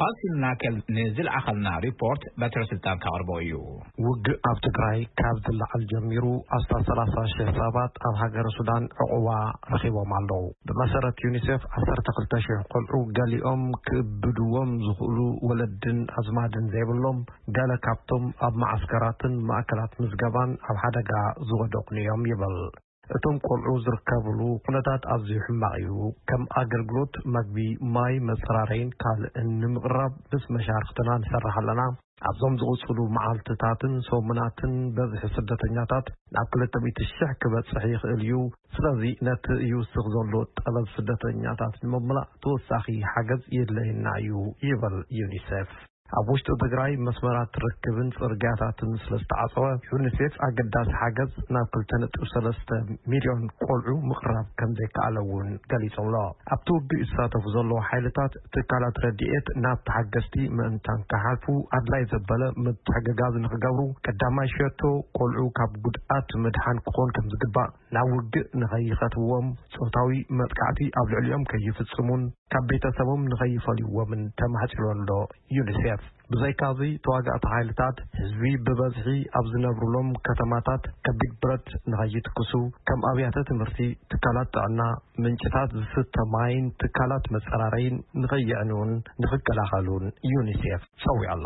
ፓልሲን ናከል ንዝለኣኸልና ሪፖርት በትረ ስልጣን ከቕርቦ እዩ። ውግእ ኣብ ትግራይ ካብ ዝለዓል ጀሚሩ ኣስታት ሰላሳ ሺሕ ሰባት ኣብ ሃገረ ሱዳን ዕቑባ ረኺቦም ኣለዉ። ብመሰረት ዩኒሴፍ፣ ዓሰርተ ክልተ ሺሕ ቆልዑ፣ ገሊኦም ክእብድዎም ዝኽእሉ ወለድን ኣዝማድን ዘይብሎም፣ ገለ ካብቶም ኣብ መዓስከራትን ማእከላት ምዝገባን ኣብ ሓደጋ ዝወደቑን እዮም ይብል። እቶም ቆልዑ ዝርከብሉ ኩነታት ኣዝዩ ሕማቕ እዩ። ከም ኣገልግሎት መግቢ፣ ማይ፣ መጸራረይን ካልእን ንምቕራብ ምስ መሻርኽትና ንሰርሕ ኣለና። ኣብዞም ዝቕጽሉ መዓልትታትን ሰሙናትን በዝሒ ስደተኛታት ናብ ክልተ ሚእቲ ሽሕ ክበጽሕ ይኽእል እዩ። ስለዚ ነቲ ይውስኽ ዘሎ ጠለብ ስደተኛታት ንምምላእ ተወሳኺ ሓገዝ የድለየና እዩ ይብል ዩኒሴፍ። ኣብ ውሽጢ ትግራይ መስመራት ርክብን ጽርግያታትን ስለ ዝተዓጸወ፣ ዩኒሴፍ ኣገዳሲ ሓገዝ ናብ ክልተ ነጥቢ ሰለስተ ሚልዮን ቆልዑ ምቕራብ ከም ዘይከኣለ እውን ገሊጹ ኣሎ። ኣብቲ ውግእ ይሳተፉ ዘለዉ ሓይልታት፣ ትካላት ረድኤት ናብ ተሓገዝቲ ምእንታን ክሓልፉ ኣድላይ ዘበለ ምትሕግጋዝ ንኽገብሩ፣ ቀዳማይ ሸቶ ቆልዑ ካብ ጉድኣት ምድሓን ክኾን ከም ዝግባእ፣ ናብ ውግእ ንኸይኸትዎም፣ ጾታዊ መጥቃዕቲ ኣብ ልዕሊኦም ከይፍጽሙን ካብ ቤተሰቦም ንኸይፈልይዎምን ተማሕጺኑ ኣሎ ዩኒሴፍ። ብዘይካዚ፣ ተዋጋእቲ ሓይልታት ህዝቢ ብበዝሒ ኣብ ዝነብሩሎም ከተማታት ከቢድ ብረት ንኸይትኩሱ፣ ከም ኣብያተ ትምህርቲ፣ ትካላት ጥዕና፣ ምንጭታት ዝስተ ማይን ትካላት መጸራረይን ንኸይዕንዉን ንኽከላኸሉን ዩኒሴፍ ጸዊዑ ኣሎ።